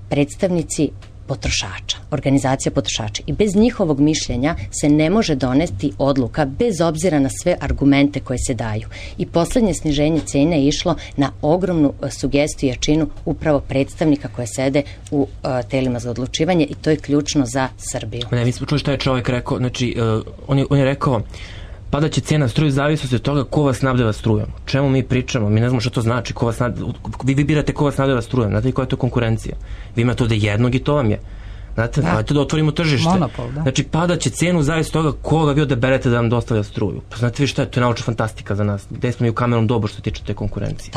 predstavnici potrošača, organizacija potrošača, i bez njihovog mišljenja se ne može doneti odluka bez obzira na sve argumente koje se daju. I posljednje sniženje cene je išlo na ogromnu sugestiju i jačinu upravo predstavnika koje sede u telima za odlučivanje, i to je ključno za Srbiju. Ne, mi smo čuli što je čovjek rekao, znači on je rekao padat će cijena struje zavisnosti od toga ko vas snabdeva strujom. O čemu mi pričamo? Mi ne znamo što to znači. Vi birate ko vas snabdeva strujom. Znate li koja je to konkurencija? Vi imate ovde jednog i to vam je. Znate, hajte da otvorimo tržište. Monopol, da. Znači, padaće cenu zavisno toga koga vi odaberete da vam dostavlja struju. Pa znate vi šta je, to je naučna fantastika za nas. Gde smo mi u kamenom dobu što se tiče te konkurencije.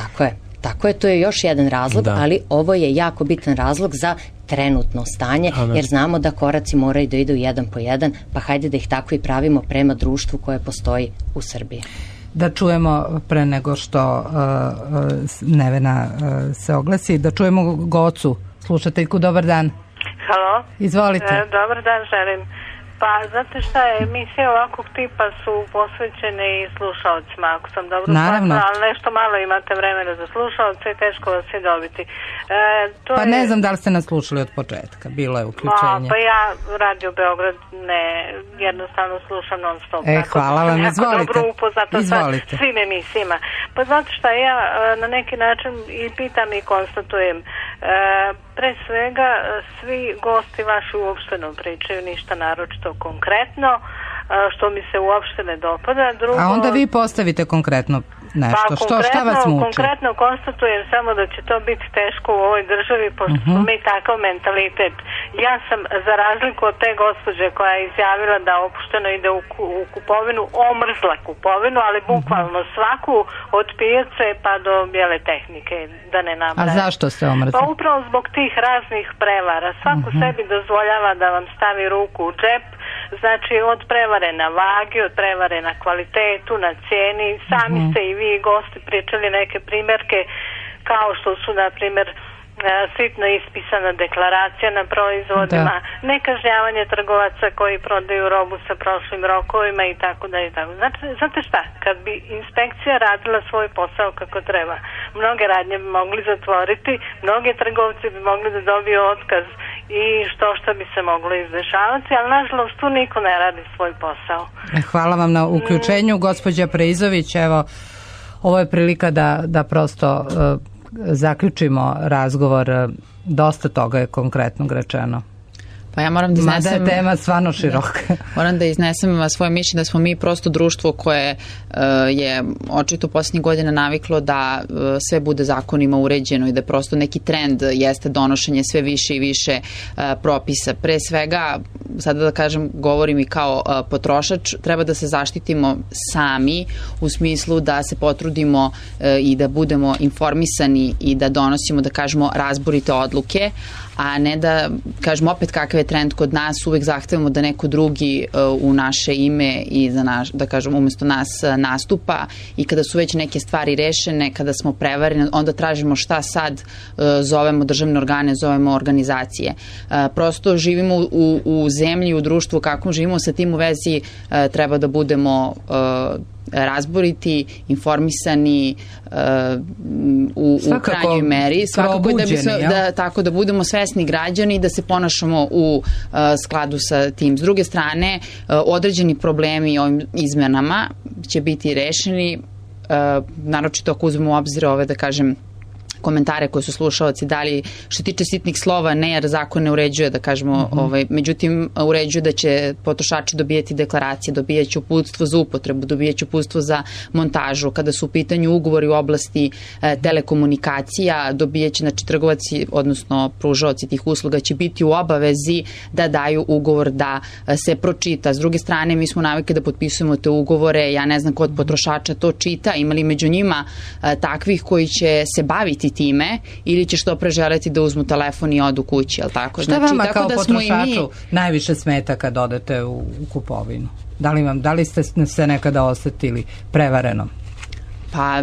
Tako je, to je još jedan razlog, ali ovo je jako bitan razlog za trenutno stanje, jer znamo da koraci moraju da idu jedan po jedan, pa hajde da ih tako i pravimo prema društvu koje postoji u Srbiji. Da čujemo pre nego što Nevena se oglasi, da čujemo Gocu, slušateljku, dobar dan. Halo. Izvolite. Dobar dan želim. Pa, znate šta je, emisije ovakvog tipa su posvećene i slušalcima, ako sam dobro shvatila, ali nešto malo imate vremena za slušalce i teško vas je dobiti. Ne znam da li ste nas slušali od početka, bilo je uključenje. Pa ja Radio Beograd jednostavno slušam non stop. Hvala vam, izvolite. Dobro upoznata sa svim emisijama. Pa znate šta, ja na neki način i pitam i konstatujem, pre svega svi gosti vaši uopšte ne pričaju ništa naročito konkretno, što mi se uopšte ne dopada. A onda vi postavite konkretno nešto. Šta vas muči? Konkretno konstatujem samo da će to biti teško u ovoj državi, pošto smo mi takav mentalitet. Ja sam, za razliku od te gospođe koja je izjavila da opušteno ide u kupovinu, omrzla kupovinu, ali bukvalno svaku od pijace pa do bijele tehnike, da ne nabrajam. A zašto ste omrzli? Pa upravo zbog tih raznih prevara. Svako sebi dozvoljava da vam stavi ruku u džep, znači od prevare na vagi, od prevare na kvalitetu, na cijeni. Sami ste i vi gosti pričali neke primjerke kao što su, na primjer, sitno ispisana deklaracija na proizvodima, nekažnjavanje trgovaca koji prodaju robu sa prošlim rokovima i tako da i tako. Znate šta, kad bi inspekcija radila svoj posao kako treba, mnoge radnje bi mogli zatvoriti, mnoge trgovci bi mogli da dobiju otkaz i što bi se moglo izdešavati, ali nažalost tu niko ne radi svoj posao. Hvala vam na uključenju, gospođa Preizović. Evo, ovo je prilika da prosto zaključimo razgovor, dosta toga je konkretno rečeno. Pa ja moram da iznesem... Mada je tema stvarno široka. Moram da iznesem svoje mišljenje da smo mi prosto društvo koje je očito posljednjih godina naviklo da sve bude zakonima uređeno i da prosto neki trend jeste donošenje sve više i više propisa. Pre svega, sada da kažem, govorim i kao potrošač, treba da se zaštitimo sami u smislu da se potrudimo i da budemo informisani i da donosimo, da kažemo, razborite odluke, a ne da, kažemo, opet kakav je trend kod nas, uvek zahtevamo da neko drugi u naše ime i za naš, da kažem, umesto nas nastupa, i kada su već neke stvari rešene, kada smo prevareni, onda tražimo šta sad, zovemo državne organe, zovemo organizacije. Prosto živimo u zemlji, u društvu, kako živimo, sa tim u vezi treba da budemo razboriti, informisani u krajnjoj meri, svakako tako da budemo svesni građani i da se ponašamo u skladu sa tim. S druge strane, određeni problemi ovim izmenama će biti rešeni, naročito ako uzmemo u obzir ove, da kažem, komentare koje su slušalci dali, što tiče sitnih slova, ne, jer zakon ne uređuje, da kažemo, međutim uređuje da će potrošači dobijati deklaracije, dobijaće uputstvo za upotrebu, dobijaće uputstvo za montažu. Kada su u pitanju ugovori u oblasti telekomunikacija, dobijaće, znači, trgovaci, odnosno pružaoci tih usluga će biti u obavezi da daju ugovor da se pročita. S druge strane, mi smo navikli da potpisujemo te ugovore, ja ne znam ko od potrošača to čita, imali među njima takvih koji će se baviti time ili će što pre želeti da uzmu telefon i odu kući, jel tako? Šta vama kao potrošaču najviše smeta kad odete u kupovinu? Da li ste se nekada osetili prevareno? Pa,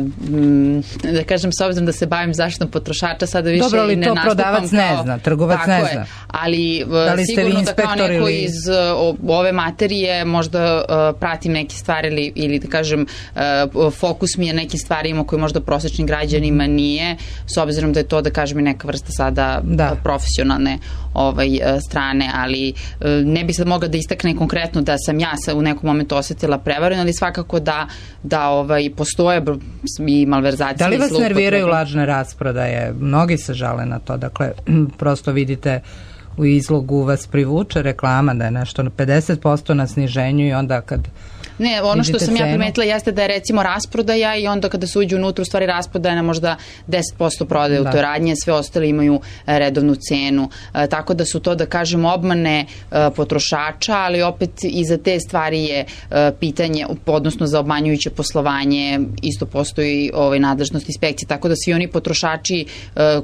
da kažem, s obzirom da se bavim zaštitom potrošača, sada više dobro, ali i ne to nastupam prodavac ne zna, trgovac ne zna. Ali sigurno da kao neko iz ove materije možda pratim neke stvari ili da kažem, fokus mi je nekim stvarima koji možda prosječnim građanima nije, s obzirom da je to, da kažem, i neka vrsta sada profesionalne strane, ali ne bi sad mogla da istakne konkretno da sam ja u nekom momentu osetila prevareno, ali svakako da postoje i malverzacije. Da li vas nerviraju lažne rasprodaje? Mnogi se žale na to, dakle, prosto vidite u izlogu vas privuče reklama da je nešto na 50% na sniženju i onda kad Ne, ono što sam ja primetila jeste da je recimo rasprodaja i onda kada se uđe unutra u stvari rasprodaja na možda 10% prodaje u toj radnji, sve ostale imaju redovnu cenu. Tako da su to, da kažem, obmane potrošača, ali opet i za te stvari je pitanje, odnosno za obmanjujuće poslovanje, isto postoji nadležnost inspekcije, tako da svi oni potrošači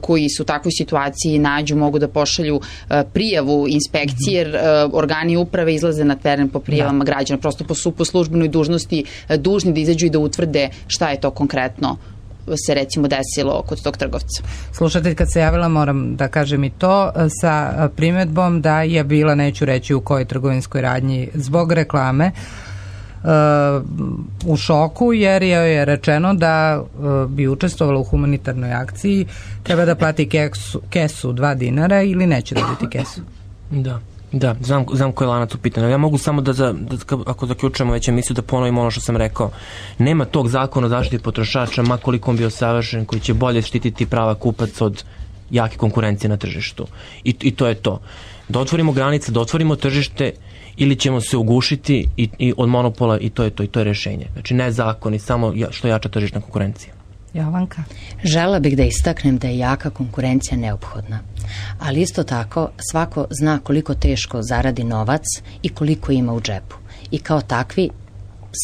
koji su u takvoj situaciji nađu, mogu da pošalju prijavu inspekcije, jer organi uprave izlaze na teren po prijavama građana, prosto po službenoj dužnosti dužni da izađu i da utvrde šta je to konkretno se recimo desilo kod tog trgovca. Slušatelj kad se javila, moram da kažem i to, sa primedbom da je bila, neću reći u kojoj trgovinskoj radnji, zbog reklame u šoku, jer je rečeno da bi učestvovala u humanitarnoj akciji, treba da plati kesu 2 dinara ili neće dobiti kesu. Da, znam koji je lanac u pitanju. Ja mogu samo da ako zaključujemo već emisiju, da ponovim ono što sam rekao. Nema tog zakona o zaštiti potrošača, ma koliko on bio savršen, koji će bolje štititi prava kupaca od jake konkurencije na tržištu. I to je to. Da otvorimo granice, da otvorimo tržište, ili ćemo se ugušiti i od monopola, i to je rešenje. Znači ne zakoni, samo što jača tržišna konkurencija. Jovanka? Žela bih da istaknem da je jaka konkurencija neophodna, ali isto tako svako zna koliko teško zaradi novac i koliko ima u džepu. I kao takvi,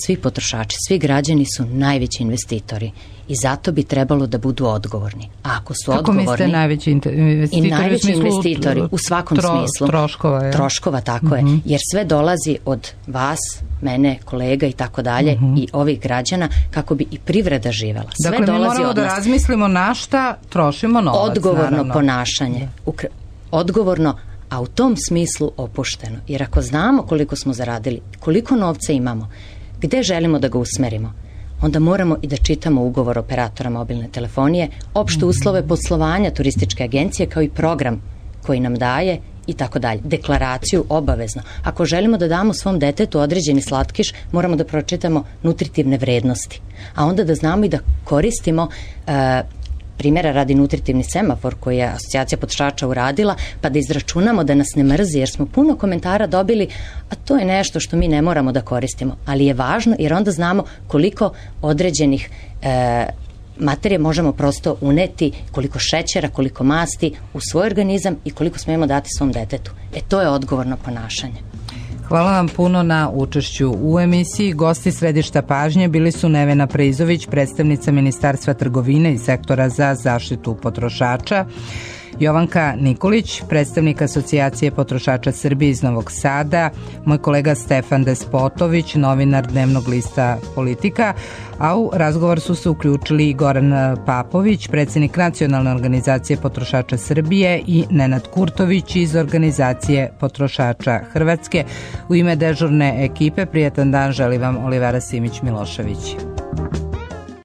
svi potrošači, svi građani su najveći investitori i zato bi trebalo da budu odgovorni. A ako su odgovorni... Kako mislite najveći investitori? I najveći investitori u svakom smislu. Troškova, je? Troškova, tako je. Jer sve dolazi od vas, mene, kolega i tako dalje i ovih građana kako bi i privreda živela. Sve dakle, dolazi mi moramo da razmislimo na šta trošimo novac. Odgovorno ponašanje. Odgovorno, a u tom smislu opušteno. Jer ako znamo koliko smo zaradili, koliko novca imamo, gde želimo da ga usmerimo, onda moramo i da čitamo ugovor operatora mobilne telefonije, opšte uslove poslovanja turističke agencije, kao i program koji nam daje i tako dalje. Deklaraciju obavezno. Ako želimo da damo svom detetu određeni slatkiš, moramo da pročitamo nutritivne vrednosti. A onda da znamo i da koristimo primjera radi nutritivni semafor koji je Asocijacija potrošača uradila, pa da izračunamo da nas ne mrzi, jer smo puno komentara dobili, a to je nešto što mi ne moramo da koristimo, ali je važno jer onda znamo koliko određenih materije možemo prosto uneti, koliko šećera, koliko masti u svoj organizam i koliko smemo dati svom detetu. To je odgovorno ponašanje. Hvala vam puno na učešću u emisiji. Gosti središta pažnje bili su Nevena Preizović, predstavnica Ministarstva trgovine i sektora za zaštitu potrošača, Jovanka Nikolić, predstavnik Asocijacije potrošača Srbije iz Novog Sada, moj kolega Stefan Despotović, novinar dnevnog lista Politika, a u razgovor su se uključili i Goran Papović, predsjednik Nacionalne organizacije potrošača Srbije, i Nenad Kurtović iz Organizacije potrošača Hrvatske. U ime dežurne ekipe prijatan dan želi vam Olivera Simić Milošević.